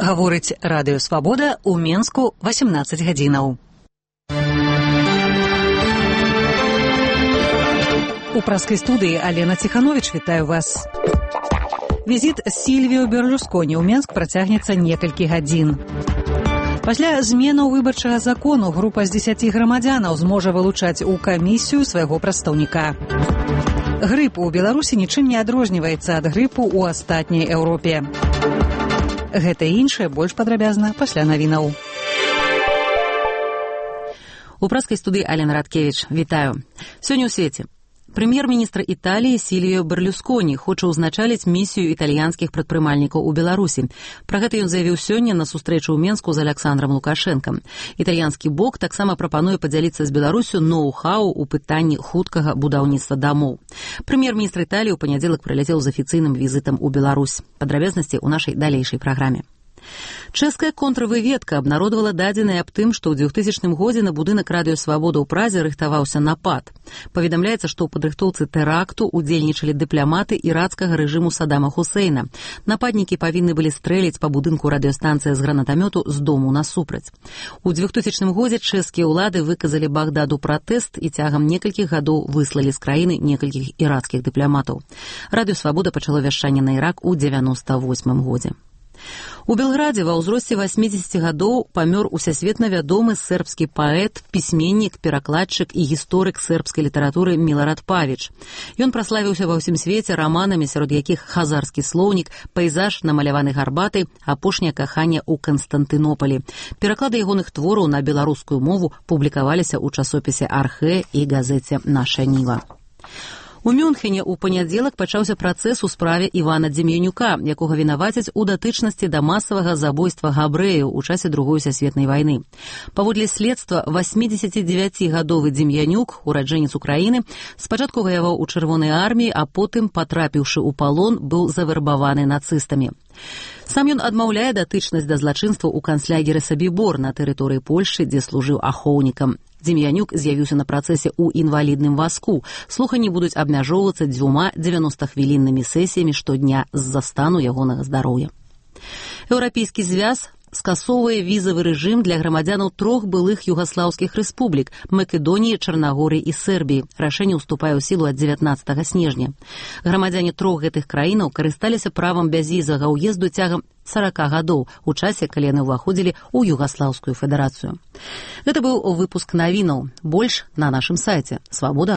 Гаворыць радыё «Свабода» ў Менску 18 гадзінаў. У праскай студыі Алена Ціхановіч, вітаю вас. Візіт Сільвіо Берлусконі ў Менск працягнецца некалькі гадзін. Пасля зменаў выбарчага закону група з 10 грамадзянаў зможа вылучаць у камісію свайго прадстаўніка. Грып у Беларусі нічым не адрозніваецца ад грыпу ў астатняй Еўропе. Гэта і іншае больш падрабязна пасля навінаў. У праскай студыі Алена Радкевіч, вітаю. Сёння ў свеце. Прэм'ер-міністр Італіі Сільвіо Берлусконі хоча ўзначаліць місію італьянскіх прадпрымальнікаў у Беларусі. Пра гэта ён заявіў сёння на сустрэчу ў Менску з Аляксандрам Лукашэнкам. Італьянскі бок таксама прапануе падзяліцца з Беларусю ноу-хау у пытанні хуткага будаўніцтва дамоў. Прэм'ер-міністр Італіі ў панядзелак прыляцеў з афіцыйным візітам у Беларусь. Падрабязнасці ў нашай далейшай праграме. Чэшская контрвыведка абнародавала дадзеныя аб тым, што ў 2000 годзе на будынак радыё «Свабода» ў Празе рыхтаваўся напад. Паведамляецца, што ў падрыхтоўцы тэракту удзельнічалі дыпламаты ірацкага рэжыму Саддама Хусейна. Нападнікі павінны былі стрэліць па будынку радыёстанцыі з гранатамёту з дому насупраць. У 2000 годзе чэшскія ўлады выказалі Багдаду пратэст і цягам некалькіх гадоў выслалі з краіны некалькіх ірацкіх дыпламатаў. Радыё «Свабода» пачало вяшчанне на Ірак у 98 годзе. У Белградзе ва ўзросце 80 гадоў памёр усесветна вядомы сербскі паэт, пісьменнік, перакладчык і гісторык сербскай літаратуры Милорад Павіч. Ён праславіўся ва ўсім свеце раманамі, сярод якіх «Хазарскі слоўнік», «Пейзаж, намаляваны гарбатай», «Апошняе каханне ў Канстантынополі». Пераклады ягоных твораў на беларускую мову публікаваліся ў часопісе «Архэ» і газеце «Наша Ніва». У Мюнхене ў панядзелак пачаўся працэс у справе Івана Дзем'янюка, якога вінавацяць у датычнасці да масавага забойства габрэяў у часе Другой сусветнай вайны. Паводле следства, 89-гадовы Дзем'янюк, ураджэнец Украіны, спачатку ваяваў у Чырвонай арміі, а потым, патрапіўшы ў палон, быў завярбаваны нацыстамі. Сам ён адмаўляе датычнасць да злачынства ў канцлагеры Сабібор на тэрыторыі Польшчы, дзе служыў ахоўнікам. Дзем'янюк з'явіўся на працэсе ў інвалідным вазку. Слуханні будуць абмяжоўвацца 2 90-хвіліннымі сесіямі штодня з-за стану ягонага здароўя. Еўрапейскі звяз скасоўвае візавы рэжым для грамадзянаў 3 былых югаслаўскіх рэспублік – Македоніі, Чарнагорыі і Сербіі. Рашэнне ўступае ў сілу ад 19 снежня. Грамадзяне 3 гэтых краінаў карысталіся правам бязвізавага ўезду цягам 40 гадоў у часе, калі яны ўваходзілі ў Югаслаўскую федэрацыю. Гэта быў выпуск навінаў. Больш на нашым сайце свабода.